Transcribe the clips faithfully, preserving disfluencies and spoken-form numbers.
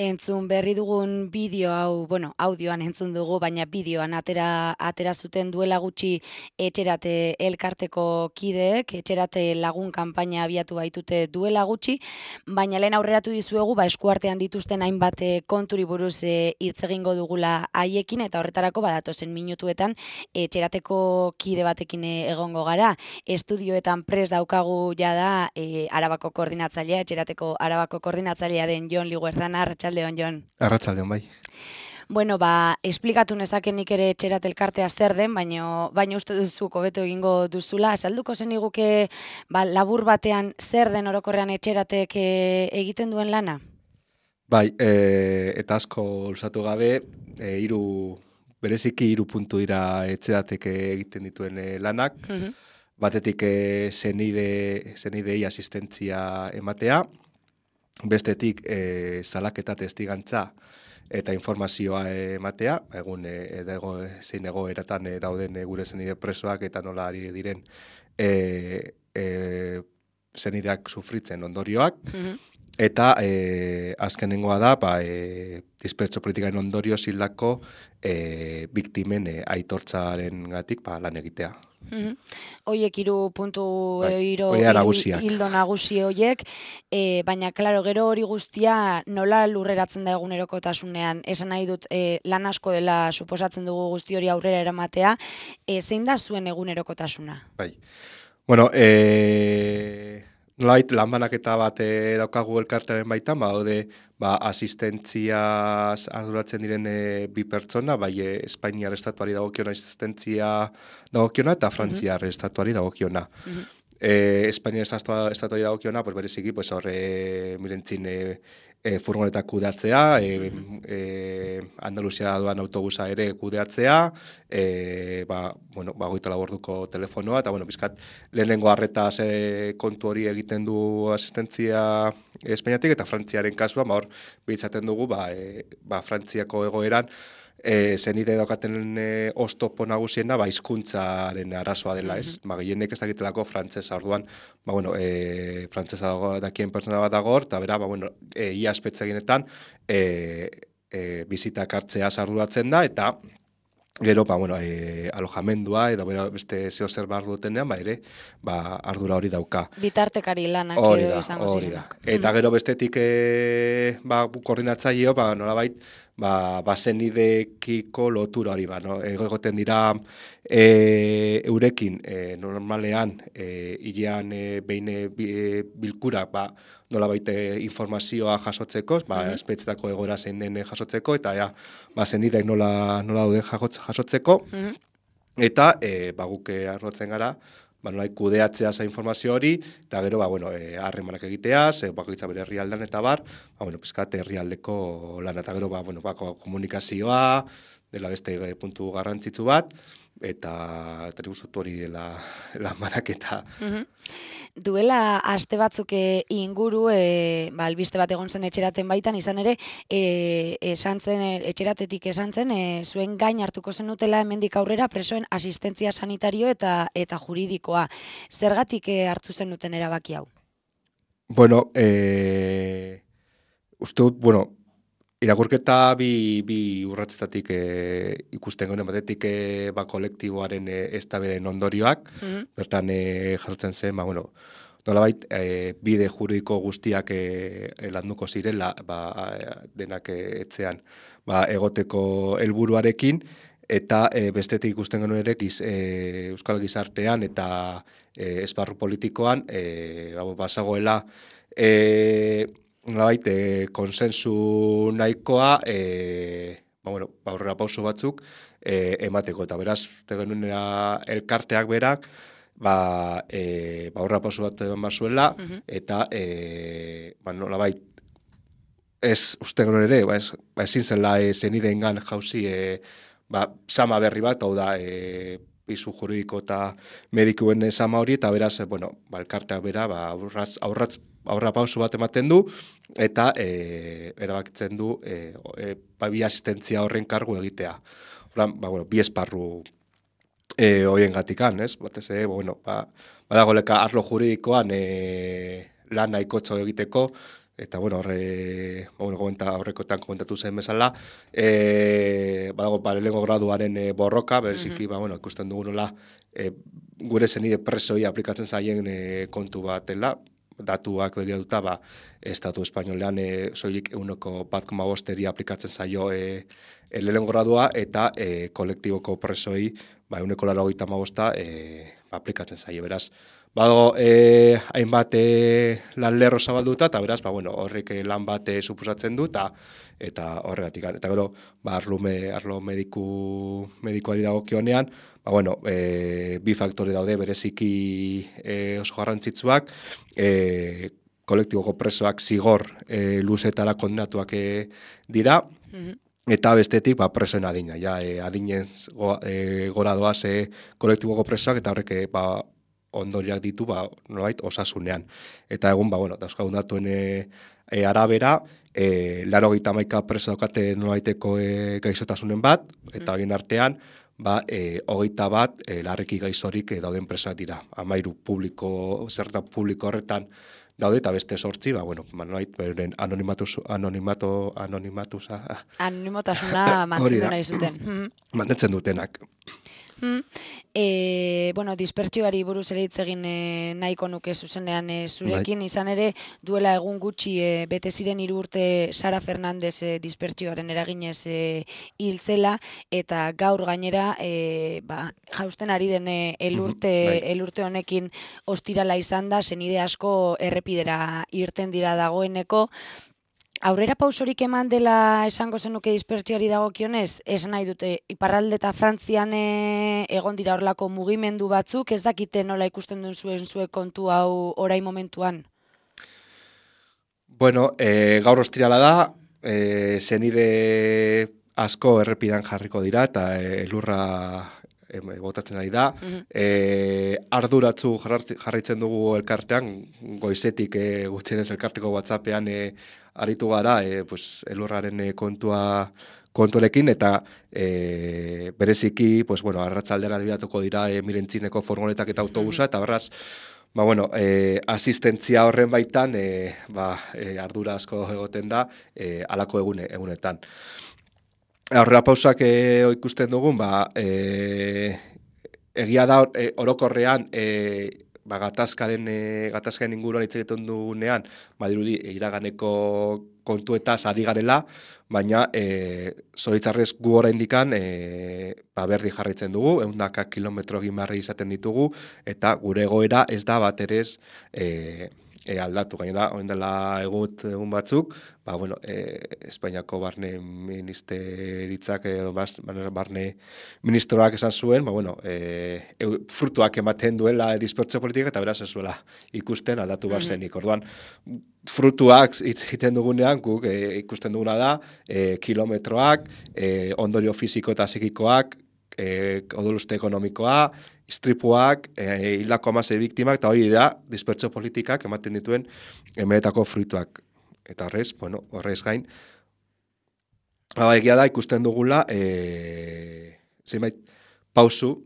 Entzun berri dugun bideo hau, bueno, audioan entzun dugu, baina bideoan atera, atera zuten duela gutxi etxerate elkarteko kideek, etxerate lagun kanpaina abiatu baitute duela gutxi, baina lehen aurreratu dizuegu, ba, eskuartean dituzten hainbat eh, konturi buruz eh, hitz egingo dugula haiekin, eta horretarako badatozen minutuetan etxerateko kide batekin eh, egongo gara. Estudioetan prest daukagu jada eh, Arabako koordinatzailea, etxerateko Arabako koordinatzailea den Jon Liguerzana. Arratsaldeon, Jon. Arratsaldeon, bai. Bueno, ba, esplikatu nezaken nik ere etxerat elkartea zer den, baina baina uste duzu hobeto egingo duzula. Azalduko zeniguke ba, labur batean zer den orokorrean etxeratek e, egiten duen lana? Bai, e, eta asko luzatu gabe, e, iru, bereziki hiru puntu dira etxeratek egiten dituen e, lanak. Mhm. Batetik e, zenide, zenidei asistentzia ematea, bestetik e, salaketa testigantza eta informazioa ematea, egun e, edago, zein egoeratan e, dauden e, gure zenide presoak eta nola ari diren e, e, zenideak sufritzen ondorioak, Mhm. eta e, azkenengoa da, ba, e, dispertso politikaren ondorio zildako e, biktimen e, aitortzaren gatik ba, lan egitea. Mhm. Hoiek hiru puntu Bai, edo hiru horiek hiru nagusiak. ildo nagusi hoiek, e, baina claro, gero hori guztia nola lurreratzen da egunerokotasunean. Esan nahi dut e, lan asko dela suposatzen dugu guzti hori aurrera eramatea, e, zein da zuen egunerokotasuna? Bai. Bueno, e, nolait lanbanaketa bat e, daukagu elkartearen baitan, ba, daude ba, asistentziaz arduratzen diren e, bi pertsona, bai e, Espainiar estatuari dagokiona asistentzia dagokiona eta Frantziar estatuari dagokiona. Mhm. Eh, Espainia estatua, estatuari dagokiona, pues bereziki, pues horre mirentzin e, e, furgonetak kudeatzea, e, e, Andaluzia doan autobusa ere kudeatzea, e, ba, bueno, ba, goita laborduko telefonoa, eta, bueno, bizkat, lehenengo arretaz e, kontu hori egiten du asistentzia Espainiatik, eta Frantziaren kasua, ba, hor, behitzaten dugu, ba, e, ba, Frantziako egoeran, E, zenide daukaten e, oztopo nagusiena ba, hizkuntzaren arazoa dela, ez? Ba, gehienek ez dakitelako frantsesa, orduan, ba, bueno, e, frantsesa dago, dakien pertsona bat dago hor, eta bera, ba, bueno, e, ia espetzeginetan e, e, bizitak hartzea arduratzen da, eta gero, ba, bueno, e, alojamendua, edo bera, beste zeo zer behar dutenean, ba, ere, ba, ardura hori dauka. Bitartekari lanak Hori edo da, izango hori da. zirenak. Eta gero bestetik e, ba, koordinatzaileo, ba, nolabait, ba, bazenidekiko lotura hori, ba, no? Egoten dira e, eurekin e, normalean e, hilean e, behin e, bilkura, ba, nolabait e, informazioa jasotzeko, ba, Mhm. espetzetako egoera zein den jasotzeko, eta ja, ba, zenidek nola, nola dauden jasotzeko, Mhm. eta e, ba, guk e, arrotzen gara, ba, nolai kudeatzea za informazio hori, eta gero, ba, bueno, e, harremanak egiteaz, e, bakoitza bere herrialdean eta bar, ba, bueno, pizkat herrialdeko lana, eta gero, ba, bueno, ba, komunikazioa, dela beste e, puntu garrantzitsu bat, eta eta nik uste dut hori dela lan banaketa. Mhm. Duela aste batzuk e, inguru, e, ba, albiste bat egon zen etxeraten baitan, izan ere, e, esan zen, e, etxeratetik esan zen, e, zuen gain hartuko zenutela hemendik aurrera presoen asistentzia sanitario eta eta juridikoa. Zergatik e, hartu zenuten erabaki hau? Bueno, e, uste dut, bueno, irakurketa bi, bi urratzetatik e, ikusten gonen batetik e, ba, kolektiboaren e, eztabaiden ondorioak, Mhm. bertan e, jasotzen zen, ba, bueno, nolabait, e, bide juridiko guztiak e, landuko zirela, ba, denak e, etxean ba, egoteko helburuarekin, eta e, bestetik ikusten genuen ere giz, e, Euskal Gizartean eta e, esparru politikoan e, ba, bazagoela e, nolabait, e, konsensu nahikoa e, ba, bueno, ba, aurrera pauso batzuk e, emateko, eta beraz, genuen elkarteak berak, ba, e, ba, aurrera pauso bat eman zuela, Mhm. eta e, ba, nolabait, ez uste genuen ere, ba, ez, ba, ezin zela e, zenideengan jauzi e, ba, sama berri bat, hau da, e, pisu juridiko eta medikuen sama hori, eta beraz, e, bueno, ba, elkarteak bera, ba, aurratz, aurratz, aurra pauso bat ematen du, eta e, erabakitzen du e, e, ba, bi asistentzia horren kargu egitea. Horan, ba, bueno, bi esparru e, hoien gatikan, ez? Batez ere, bueno, ba, badagoleka arlo juridikoan e, lan nahikotxo egiteko, eta bueno, horre, bueno, komenta, horrekotan komentatu zen bezala, e, badago lehenengo graduaren e, borroka, bereziki, ba, bueno, ikusten dugu nola, e, gure zenide presoi aplikatzen zaien e, kontu bat dela, datuak begiratuta, ba, Estatu Espainolean e, soilik euneko bat koma bosteri aplikatzen zaio e, e, lehenengo gradua, eta e, kolektiboko presoi, ba, euneko laro gita magosta e, ba, aplikatzen zaio, beraz. Badago, e, hainbat e, lan lerro zabalduta, eta beraz, ba, bueno, horrek lan bat e, suposatzen du, eta eta horregatik. Eta gero, ba, arlo, me, arlo mediku, medikuari dagokionean, ba, bueno, e, bi faktore daude bereziki e, oso garrantzitsuak, e, kolektiboko presoak zigor e, luzetara kondenatuak e, dira, mm-hmm. Eta bestetik, ba, presoen adina, ja, e, adinez go, e, gora doaz e, kolektiboko presoak, eta horrek, e, ba, ondoriak ditu, ba, nolabait, osasunean. Eta egun, ba, bueno, dauzkagun datuen e, e, arabera, e, laro gita maika preso daukate nolabaiteko e, gaixotasunen bat, eta egin artean, ba, e, hogeita bat, e, larriki gaixorik e, dauden presoak dira. Amairu publiko, zerta publiko horretan daude, eta beste sortzi, ba, bueno, nolabait, beren anonimatuz, anonimato, anonimatuz, ah, anonimotasuna mantendu nahi zuten. Mantentzen dutenak. Hmm. E, bueno, dispertsioari buruz ere hitz egin e, nahiko nuke zuzenean e, zurekin, bai. Izan ere duela egun gutxi e, bete ziren hiru urte Sara Fernandez e, dispertsioaren eraginez e, hil zela, eta gaur gainera e, ba, jausten ari den e, elurte, bai. elurte honekin ostirala izan da, zenide asko errepidera irten dira dagoeneko. Aurrera pausorik eman dela esango zenuke dispertsioari dagokionez, esan nahi dute, iparralde eta Frantzian e, egon dira horlako mugimendu batzuk, ez dakite nola ikusten duen zuen zuek kontu hau orain momentuan? Bueno, e, gaur ostirala da, e, zenide asko errepidan jarriko dira, eta elurra e, botatzen ari da. Mm-hmm. E, arduratzu jarraitzen dugu elkartean, goizetik e, gutxienez elkarteko WhatsAppean e, aritu gara, e, pues, elurraren e, kontua konturekin, eta e, bereziki, pues, bueno, arratsaldera bidatuko dira e, Mirentzineko furgonetak eta autobusa, eta berraz, ba, bueno, e, asistentzia horren baitan, e, ba, e, ardura asko egoten da, e, alako egune, egunetan. Aurrera pausak e, ikusten dugun, ba, e, egia da e, orokorrean, e, ba, gatazkaren, e, gatazkaren inguruan hitz egiten dugunean, badirudi iraganeko kontuetaz ari garela, baina e, zoritzarrez gu oraindikan e, ba, berdi jarraitzen dugu, ehundaka kilometro gimarri izaten ditugu, eta gure egoera ez da bat ere ez e, e, aldatu. Gainera, orain dela egut egun batzuk, ba, bueno, e, Espainiako barne ministeritzak edo barne ministroak esan zuen, ba, bueno, e, e, frutuak ematen duela dispertsio politika, eta beraz ez zuela ikusten aldatu bar zenik. Orduan, frutuak hitz egiten dugunean, guk e, ikusten duguna da, e, kilometroak, e, ondorio fisiko eta psikikoak, e, odoluste ekonomikoa, istripuak, e, hildako hamasei biktimak, eta hori da, dispertsio politikak ematen dituen emeletako fruituak. Eta horrez, bueno, horrez gain, egia da ikusten dugula, e, zenbait pausu,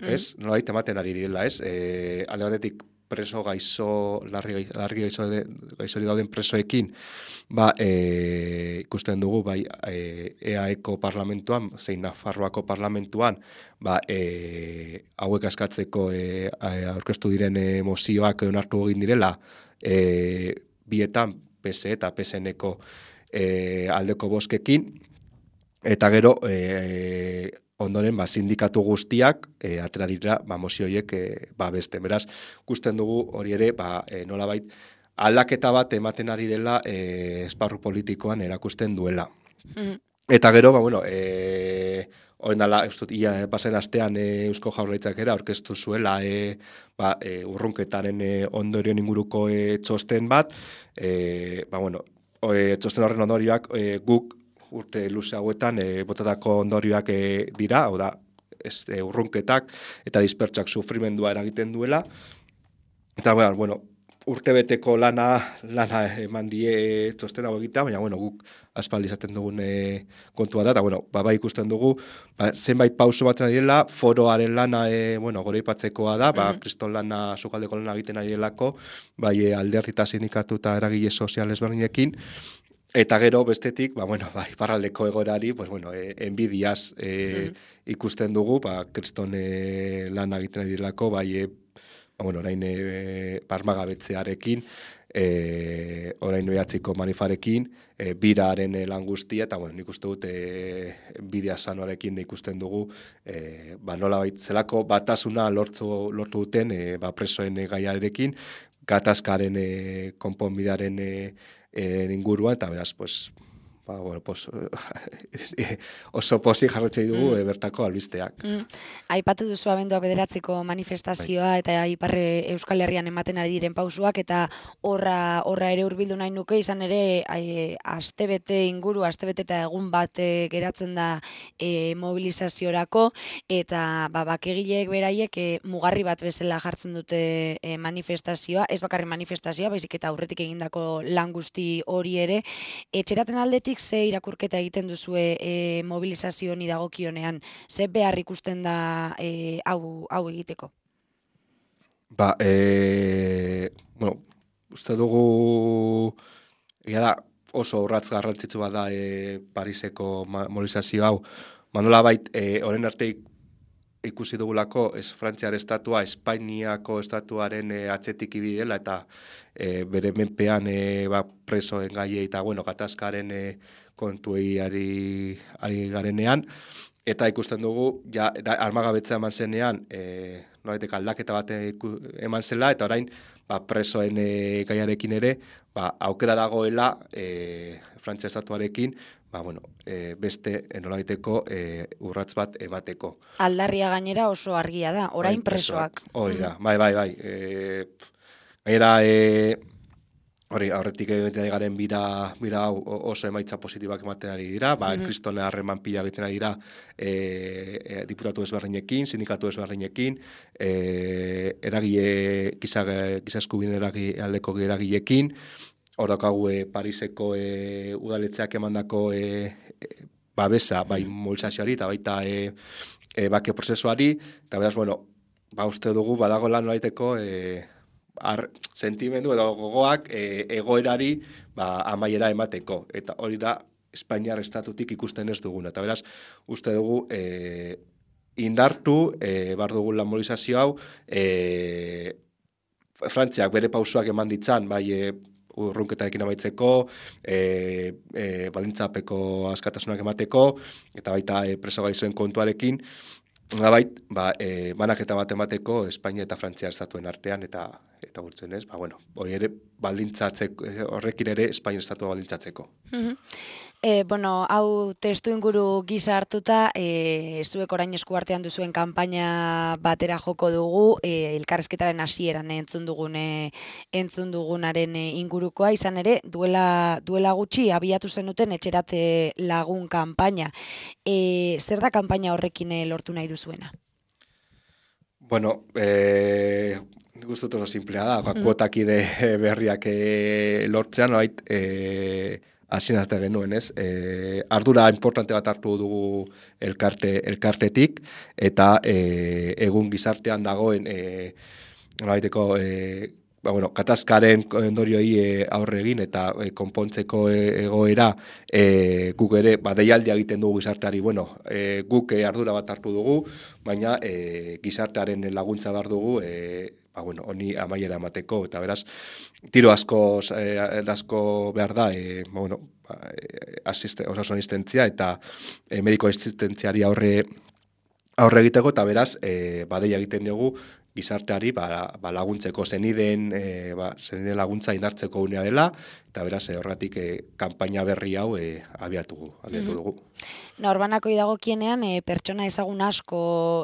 ez, mm. nolabait ematen ari direla, ez, e, alde batetik preso gaixo, larri, larri gaixo de, gaixori dauden presoekin, ba, e, ikusten dugu, bai, e, E A Eko parlamentuan, zein Nafarroako parlamentuan, ba, e, hauek askatzeko e, aurkeztu diren e, mozioak onartu egin direla, e, bietan, P S E eta P S N-eko e, aldeko boskekin, eta gero, e, ondoren, ba, sindikatu guztiak e, atera dira ba, mozioiek e, ba, beste. Beraz, ikusten dugu hori ere, ba, e, nolabait, aldaketa bat ematen ari dela e, esparru politikoan erakusten duela. Mm. Eta gero, ba, bueno, e, horren dala, eustut, ia, pasen astean e, Eusko Jaurlaritzak era aurkeztu zuela e, ba, e, urrunketaren e, ondorioen inguruko e, txosten bat, e, ba, bueno, e, txosten horren ondorioak e, guk urte luze hauetan e, botatako ondorioak e, dira, hau da, ez, e, urrunketak eta dispertsak sufrimendua eragiten duela. Eta, bueno, urtebeteko lana lana eman die txosten hau egitea, baina bueno, guk aspaldi izaten dugun e, kontua da, eta bueno, ba, bai ikusten dugu, ba, zenbait pauso batzen ari dela, foroaren lana e, bueno, goreipatzekoa da, ba, Mhm. kriston lana, sukaldeko lana egiten ari delako, bai e, alderdi eta sindikatu eta eragile sozial ezberdinekin, eta gero bestetik, ba, bueno, ba, iparraldeko egoerari, pues, bueno, e, enbidiaz e, Mhm. ikusten dugu, ba, kriston e, lana egiten ari delako, bai e, ba, bueno, orain e, barmagabetzearekin, e, orain behatziko manifarekin, e, biraren e, lan guztia, eta bueno, nik uste dut e, bidea sanoarekin ikusten dugu, e, ba, nola zelako batasuna lortzu, lortu duten e, ba, presoen e, gaiarekin, gatazkaren e, konponbidearen e, e, inguruan, eta beraz, pues, ba, bueno, pues, oso posi jarretzei dugu Mm. e, bertako albisteak. Mm. Aipatu duzu abenduak bederatziko Bai. manifestazioa eta Iparre Euskal Herrian ematen ari diren pausuak, eta horra horra ere hurbildu nahi nuke, izan ere ai, astebete inguru, astebete eta egun bat e, geratzen da e, mobilizaziorako, eta ba, bakegileek beraiek e, mugarri bat bezala jartzen dute e, manifestazioa, ez bakarri manifestazioa, baizik eta aurretik egindako lan guzti hori ere. Etxeraten aldetik ze irakurketa egiten duzue e, mobilizazio honi dagokionean? Ze behar ikusten da e, hau, hau egiteko? Ba, e, bueno, uste dugu, egia da, oso urratz garrantzitsu bat da e, Pariseko ma- mobilizazio hau. Manola bait, e, oren arte ikusi dugulako, ez Frantziar estatua, Espainiako estatuaren e, atzetik ibidela, eta e, bere menpean e, ba, presoen gaiei eta, bueno, gatazkaren e, kontuei ari, ari garenean, eta ikusten dugu, ja, da, armagabetzea eman zenean, e, nolaitek aldaketa bat iku- eman zela, eta orain, ba, presoen e, gaiarekin ere, ba, aukera dagoela, e, Frantzia estatuarekin, ba, bueno, e, beste e, nolabaiteko e, urratz bat emateko. Aldarria gainera oso argia da, orain presoak. Hori Mhm. da, bai, bai, bai. E, pf, gainera, e, hori, aurretik egiten ari garen bira, bira hau o- oso emaitza positibak ematen ari dira, ba, Mhm. kristone harreman pila egiten ari dira e, e, diputatu ezberdinekin, sindikatu ezberdinekin, e, eragile, giza, giza eskubideen eragi, aldeko eragileekin, hor daukagu e, Pariseko e, udaletzeak emandako e, e, babesa, bai Mhm. mobilizazioari eta baita e, e, bake prozesuari, eta beraz, bueno, ba uste dugu badagoela nolaiteko e, ar, sentimendu edo gogoak e, egoerari ba, amaiera emateko. Eta hori da Espainiar estatutik ikusten ez duguna. Eta beraz, uste dugu e, indartu, e, bar dugu lan mobilizazio hau, e, Frantziak bere pausoak eman ditzan, bai e, urrunketarekin amaitzeko, e, e, baldintzapeko askatasunak emateko, eta baita e, preso gaixoen kontuarekin, nolabait, ba, e, banaketa bat emateko Espainia eta Frantzia estatuen artean, eta eta gurtzen ez, ba, bueno, hori ere baldintzatzeko, horrekin ere Espainia estatua baldintzatzeko. Mhm. E, bueno, hau testu inguru gisa hartuta, e, zuek orain esku artean duzuen kanpaina batera joko dugu, e, elkarrizketaren hasieran entzun dugun e, entzun dugunaren e, ingurukoa, izan ere, duela, duela gutxi abiatu zenuten etxerate lagun kanpaina. E, zer da kanpaina horrekin e, lortu nahi duzuena? Bueno, eh, nik uste dut oso simplea da, Mhm. kuotakide berriak eh, lortzean, nolait, eh, hasien azte genuen, ez? E, ardura importante bat hartu dugu elkarte, elkartetik, eta e, egun gizartean dagoen e, nolabaiteko e, ba, bueno, katazkaren ondorioi e, aurre egin eta e, konpontzeko e, egoera e, guk ere ba, deialdia egiten dugu gizarteari, bueno, e, guk e, ardura bat hartu dugu, baina e, gizartearen laguntza behar dugu e, ba, bueno, honi amaiera emateko, eta beraz, tiro asko, e, asko behar da, e, ba, bueno, ba, e, asiste, osasun asistentzia eta e, mediko asistentziari aurre aurre egiteko, eta beraz, e, badeia egiten diogu gizarteari ba, ba laguntzeko zeniden, e, ba, zeniden laguntza indartzeko unea dela, eta beraz, e, horregatik e, kanpaina berri hau e, abiatu, abiatu dugu. Norbanakoi dagokienean e, pertsona ezagun asko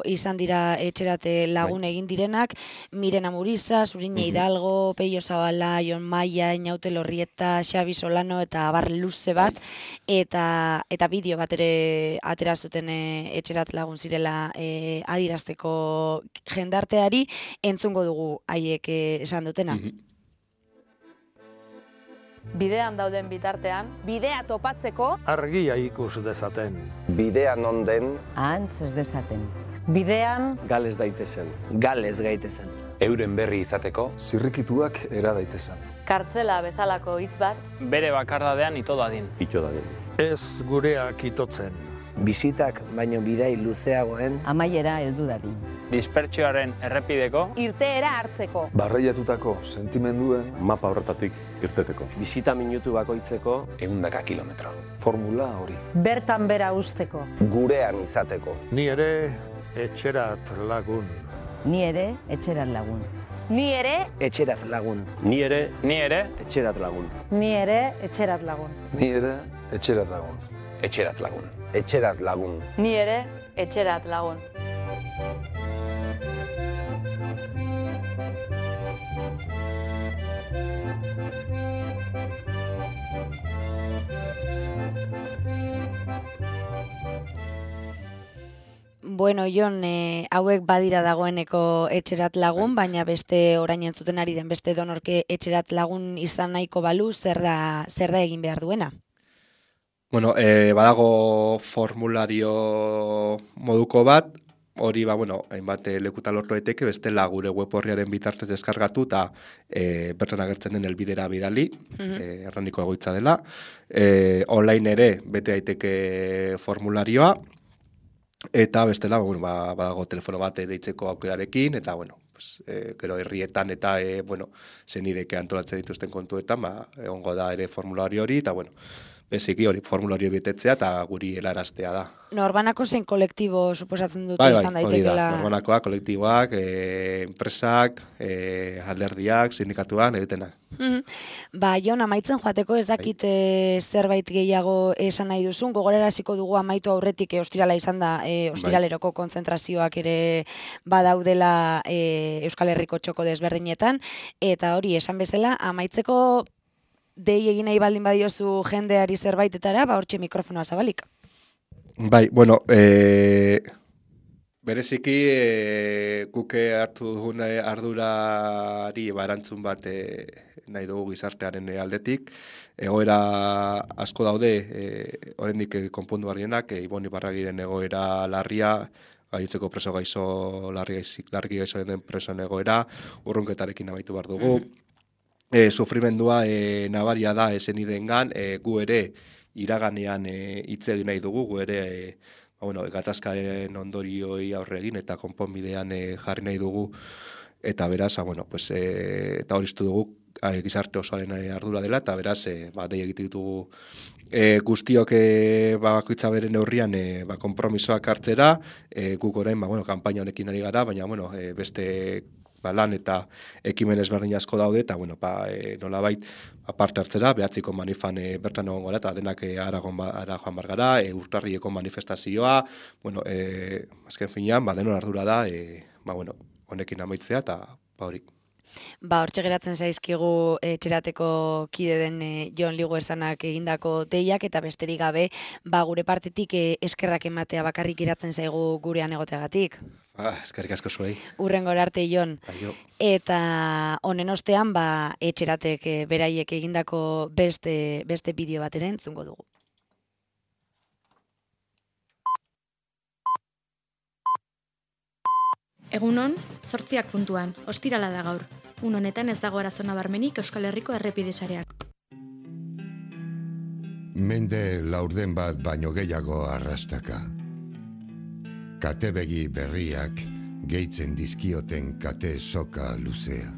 izan dira etxerate lagun Bai. egin direnak, Miren Amuriza, Zurine Mhm. Hidalgo, Peio Zabala, Jon Maia, Inaute Lorrieta, Xabi Solano eta abar luze bat, eta eta bideo bat ere atera zuten e, etxerat lagun zirela e, adirazteko jendarteari, entzungo dugu haiek e, esan dutena. Mhm. Bidean dauden bitartean, bidea topatzeko, argia ikus dezaten. Bidean onden, ahantz ez dezaten. Bidean, gales daitezen. Gales gaitezen. Euren berri izateko, zirrikituak era daitezen. kartzela bezalako hitz bat, bere bakardadean ito dadin. Ito dadin. Ez gureak itotzen. Bizitak baino bidai luzeagoen amaiera heldu dadin. Dispertsioaren errepideko, irteera hartzeko. Barreiatutako sentimenduen mapa horretatik irteteko. Bizita minutu bakoitzeko ehundaka kilometro. Formula hori. bertan bera usteko. gurean izateko. Ni ere etxerat lagun. Ni ere etxerat lagun. Ni ere, etxerat lagun. Ni ere, ni ere, etxerat lagun. Ni ere etxerat lagun. Ni ere etxerat lagun. Etxerat lagun. Etxerat lagun. ni ere, etxerat lagun. Bueno, Jon, e, hauek badira dagoeneko etxerat lagun, baina beste orain entzuten ari den beste donorke etxerat lagun izan nahiko balu, zer da, zer da egin behar duena? Bueno, e, badago formulario moduko bat, hori, ba, bueno, hainbat lekutan lortu daiteke, bestela gure web horriaren bitartez deskargatu eta e, bertan agertzen den helbidera bidali, mm-hmm. e, erraniko egoitza dela. E, online ere bete daiteke formularioa, eta bestela, bueno, ba, badago telefono bat deitzeko aukerarekin, eta, bueno, pues, e, gero herrietan eta, e, bueno, zenideke antolatzen dituzten kontuetan, ba, egongo da ere formulario hori, eta, bueno, beziki hori formulario betetzea eta guri helaraztea da. Norbanako zein kolektibo suposatzen dute bai, bai, izan hori daitekela? Da, norbanakoak, kolektiboak, e, enpresak, e, alderdiak, sindikatuak, egitenak. Mm-hmm. Ba, Jon, amaitzen joateko ez dakit e, zerbait gehiago esan nahi duzun, gogoraraziko dugu amaitu aurretik e, ostirala izan da, e, ostiraleroko kontzentrazioak ere badaudela e, Euskal Herriko txoko desberdinetan, eta hori esan bezala, amaitzeko dei egin nahi baldin badiozu jendeari zerbaitetara, ba hortxe mikrofonoa zabalik. Bai, bueno, e, bereziki e, guke hartu dugun ardurari barantzun bat e, nahi dugu gizartearen aldetik. Egoera asko daude, e, oraindik konpondu barrienak, e, Ibon Ibarragiren egoera larria, gainontzeko preso gaixo, larri, larri gaixo den presoen egoera, urrunketarekin amaitu behar dugu. Mm-hmm. E, sufrimendua e, nabaria da esenidengan, e, gu ere iraganean hitz egin nahi dugu, gu ere e, ba, bueno, gatazkaren ondorioi aurre egin eta konponbidean e, jarri nahi dugu, eta beraz, a, bueno, pues, e, eta hori dugu a, gizarte osoaren ardura dela, eta beraz, e, ba, dei egite ditugu e, guztiok e, ba, bakoitza bere neurrian e, ba, konpromisoak hartzera, e, guk orain ba, bueno, kanpaina honekin ari gara, baina bueno, e, beste ba, lan eta ekimen ezberdin asko daude, eta bueno, ba, e, nolabait aparte hartzera, behatziko manifan e, bertan egon gara, eta denak e, ara joan bar gara, e, urtarrieko manifestazioa, bueno, e, azken finean, ba, denon ardura da, e, ba, bueno, honekin amaitzea, eta ba, hori. Ba, hortxe geratzen zaizkigu etxerateko kide den e, Jon Liguerzanak egindako deiak, eta besterik gabe, ba, gure partetik e, eskerrak ematea bakarrik geratzen zaigu gurean egoteagatik. Ah, eskerrik asko zuei. Urrengora arte, Jon. Aio. Eta honen ostean, ba, etxeratek e, beraiek egindako beste, beste bideo bat ere entzungo dugu. Egunon, zortziak puntuan, ostirala da gaur. Un honetan ez dago arazo nabarmenik Euskal Herriko errepide sareak. Mende laurden bat baino gehiago arrastaka. Katebegi berriak gehitzen dizkioten kate soka luzea.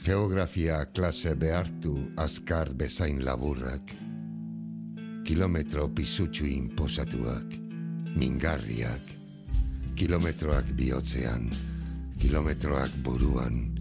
Geografia klase behartu azkar bezain laburrak. Kilometro pisutsu inposatuak, mingarriak. Kilometroak bihotzean, kilometroak buruan,